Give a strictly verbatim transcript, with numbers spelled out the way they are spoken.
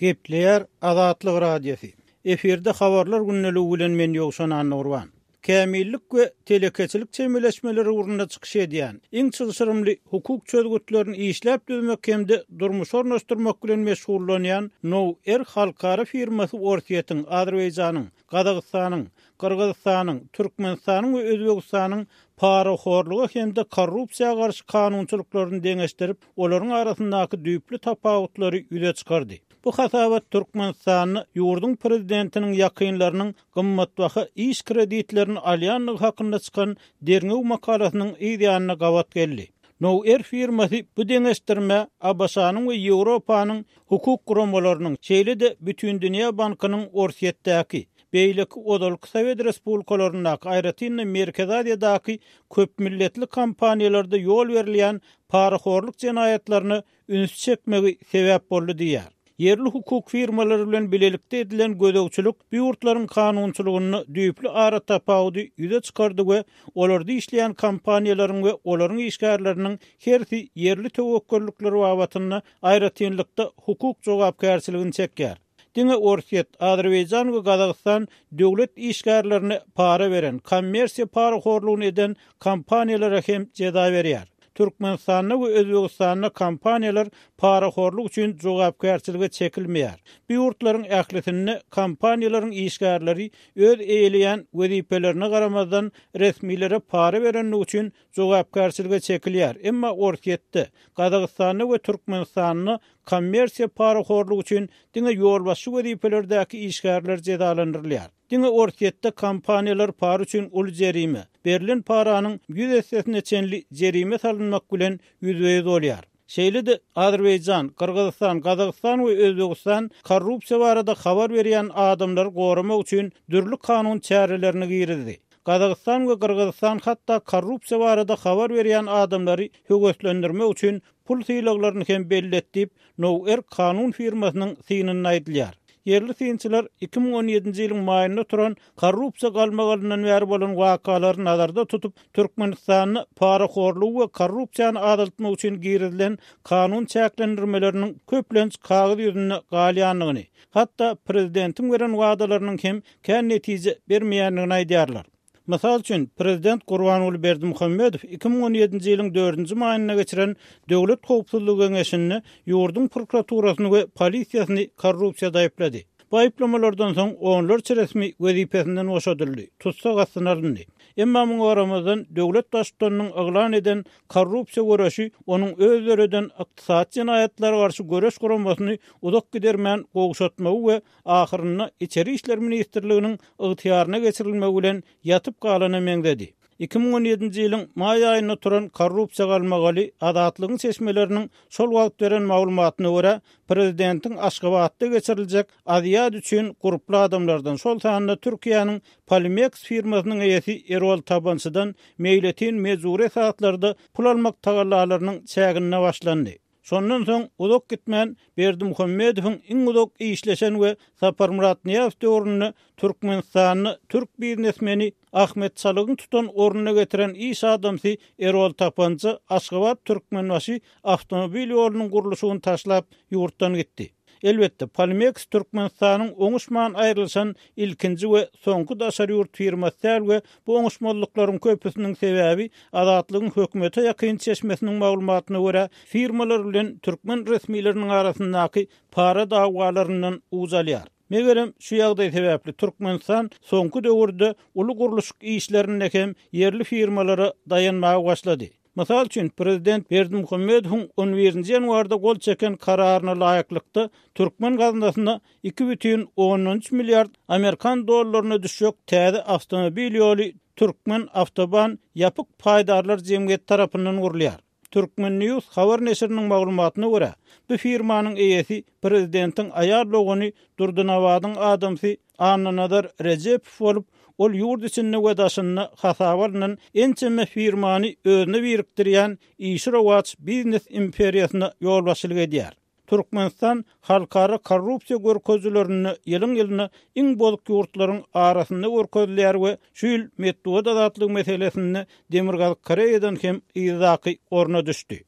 Gepleýär Azatlyk Radiosy. Efirde habarlar gündeligi bilen men Ýowşan Annagurban. Kämillik we telekeçilik çemeleşmeleri ugrunda çykyş edýän, iň çylşyrymly hukuk çözgütlerini işläp düzmek hem-de durmuşa ornaşdyrmak bilen meşgullanýan Now-Er halkara firmasy Orsýetiň, Azerbaýjanyň, Gazagystanyň, Gyrgyzystanyň, Türkmenistanyň we Özbegistanyň parahorluga hem-de korrupsiýa garşy kanunçylyklaryny deňeşdirip, olaryň arasyndaky düýpli tapawutlary ýüze çykardy. Bu hasabat Türkmenistanda ýurduň prezidentiniň ýakynlarynyň gymmatbaha iş kreditlerini alýandygy hakynda çykan derňew makalasynyň yz ýanyna gabat geldi. Now-Er firmasy bu deňeşdirmä ABŞ-nyň we Ýewropanyň hukuk guramalarynyň, şeýle-de Bütindünýä bankynyň Orsýetdäki, beýleki ozalky Sowet respublikalaryndaky, aýratyn-da Merkezi Aziýadaky köpmilletli kompaniýalarda ýol berilýän parahorluk jenaýatlaryna üns çekmegi sebäp boldy diýýär. Ýerli hukuk firmalary bilen bilelikde edilen gözegçilik bu ýurtlaryň kanunçylygynda düýpli ara tapawudy ýüze çykardy we olarda işleýän kompaniýalaryň we olaryň işgärleriniň hersi ýerli töwekgellikler babatynda aýratynlykda hukuk jogapkärçiligini çekýär. Diňe Orsýet, Azerbaýjan we Gazagystan döwlet işgärlerine para beren, kommersiýa parahorlugyny eden kompaniýalara hem jeza berýär. Türkmenistanda we Özbegistanda kompaniýalar parahorluk üçin jogapkärçilige çekilmeýär. Bu ýurtlaryň ählisinde kompaniýalaryň işgärleri öz eýeleýän wezipelerine garamazdan resmilere para berenligi üçin jogapkärçilige çekilýär. Emma Orsýetde, Gazagystanda we Türkmenistanda kommersiýa parahorlugy üçin diňe ýolbaşçy wezipelerdäki işgärler jezalandyrylýar. Diňe Orsýetde kompaniýalar para üçin uly jerime, berlen paranyň ýüz essesine çenli jerime salynmak bilen ýüzbe-ýüz bolýar. Şeýle-de Azerbaýjan, Gyrgyzystan, Gazagystan we Özbegistan korrupsiýa barada habar berýän adamlary goramak üçin dürli kanun çärelerini girizdi. Gazagystan we Gyrgyzystan hatda korrupsiýa barada habar berýän adamlary höweslendirmek üçin pul sylaglaryny hem belli etdi diýip, Now-Er kanun firmasynyň synynda aýdylýar. Ýerli synçylar iki müň on ýedinji ýylyň maýynda turan korrupsiýa galmagalyndan bäri bolan wakalary nazarda tutup, Türkmenistanda parahorlugy we korrupsiýany azaltmak üçin girizilen kanun çäklendirmeleriniň köplenç kagyz ýüzünde galýandygyny, hatda prezidentiň beren wadalarynyň hem kän netije bermeýändigini aýdýarlar. Mysal üçin, prezident Gurbanguly Berdimuhamedow iki müň on ýedinji ýylyň dördünji maýynda geçiren Döwlet howpsuzlygy geňeşinde ýurduň prokuraturasyny we polisiýasyny korrupsiýada aýyplady. Bu aýyplamalardan soň onlarça resmi wezipesinden boşadyldy, tussag astyna alyndy. Emma muňa garamazdan döwlet baştutanynyň yglan eden korrupsiýa göreşi onuň öz döreden ykdysady jenaýatlara garşy göreş guramasyny uzak gidermän gowşatmagy we ahyrynda Içeri işler ministrliginiň ygtyýaryna geçirilmegi bilen ýatyp galana meňzedi. Iki müň on ýedinji ýylyň maý aýynda turan korrupsiýa galmagaly Azatlygyň çeşmeleriniň şol wagt beren maglumatyna görä, prezidentiň Aşgabatda geçiriljek Aziýad üçin gurply adamlardan, şol sanda Türkiýäniň Polimex firmasynyň eýesi Erol Tabançydan meýletin mejbury esaslarda pul almak tagallalarynyň çäginde başlandy. Şondan soň uzak gitmän Berdimuhamedowyň iň uzak işleşen we Saparmyrat Nyýazow döwründe Türkmenistanda türk biznesmeni Ahmet Çalygyň tutan ornuna getiren iş adamsy Erol Tapança Aşgabat Türkmenbaşy awtomobil ýolunyň gurluşygyny taşlap ýurtdan gitdi. Elbetde, Polimex Türkmenistanyň oňuşman aýrylyşan ilkinji we soňky daşary ýurt firmasy däl we bu oňuşmazlyklaryň köpüsiniň sebäbi Azatlygyň hökümete ýakyn çeşmesiniň maglumatyna görä, firmalar bilen türkmen resmileriniň arasyndaky para dawalaryndan uç alýar. Megerem şu ýagdaý sebäpli Türkmenistan soňky döwürde uly gurluşyk işlerinde hem ýerli firmalara daýanmaga başlady. Mysal üçin, prezident Berdimuhamedowyň on birinji ýanwarda gol çeken kararyna laýyklykda türkmen gaznasyna iki bütin ondan üç milliard amerikan dollaryna düşjek täze awtomobil ýoly Türkmen awtoban ýapyk paýdarlar jemgyýeti tarapyndan gurulýar. Türkmen News habar neşiriniň maglumatyna görä, bu firmanyň eýesi prezidentiň aýal dogany Durdynabadyň adamsy Annanazar Rejepow bolup, ol ýurt içinde we daşynda hasaba alnan ençeme firmany özüne birikdirýän işi rowaç biznes imperiýasyna ýolbaşçylyk edýär. Türkmenistan halkara korrupsiýa görkezijilerinde ýylyň-ýylyna iň bozuk ýurtlaryň arasynda görkezilýär we şu ýyl metbugat azatlygy meselesinde Demirgazyk Koreýadan hem yzdaky orna düşdi.